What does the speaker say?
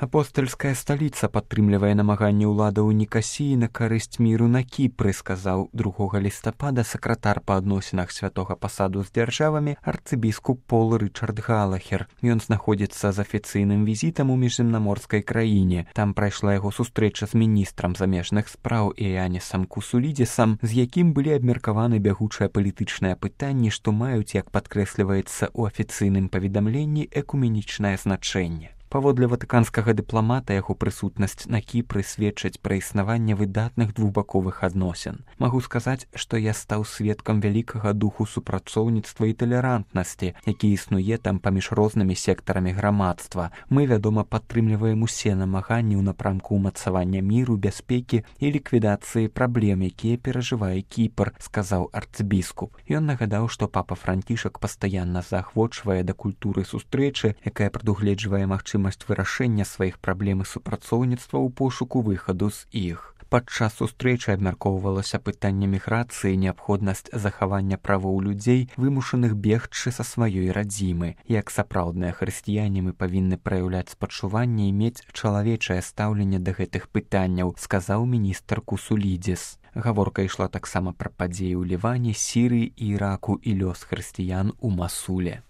Апостальская сталіца падтрымлівае намаганні ўладаў Нікасіі на карысць міру на Кіпры, сказаў 2 лістапада сакратар па адносінах святога пасаду з дзяржавамі арцыбіскуп Пол Рычард Галахер. Ён знаходзіцца з афіцыйным візітам у міжземнаморскай краіне. Там прайшла яго сустрэча з міністрам замежных спраў Іянісам Кусулідзісам, з якім былі абмеркаваны бягучыя палітычныя пытанні, што маюць, як падкрэсліваецца ў афіцыйным паведамленні, экуменічнае значэнне. Паводле ватыканскага дыпламата яго прысутнасць на Кіпры сведчыць пра існаванне выдатных двухбаковых адносін. Магу сказаць, што я стаў сведкам вялікага духу супрацоўніцтва і талерантнасці, які існуе там паміж рознымі сектарамі грамадства. Мы, вядома, падтрымліваем усе намаганні ў напрамку ўмацавання міру, бяспекі і ліквідацыі праблем, якія перажывае Кіпр, сказаў арцыбіскуп. Ён нагадаў, што папа Францішак пастаянна заахвочвае да культуры сустрэчы, якая прадугледжвае магчымасць вырашэння сваіх праблем і супрацоўніцтва ў пошуку выхаду з іх. Падчас сустрэчы абмяркоўвалася пытанне міграцыі, неабходнасць захавання правоў людзей, вымушаных бегчы са сваёй радзімы. Як сапраўдныя хрысціяне мы павінны праяўляць спачуванне і мець чалавечае стаўленне да гэтых пытанняў, сказаў міністр Кусулідзіс. Гаворка ішла таксама пра падзеі ў Ліване, Сірыі, Іраку і лёс хрысціян у Масуле.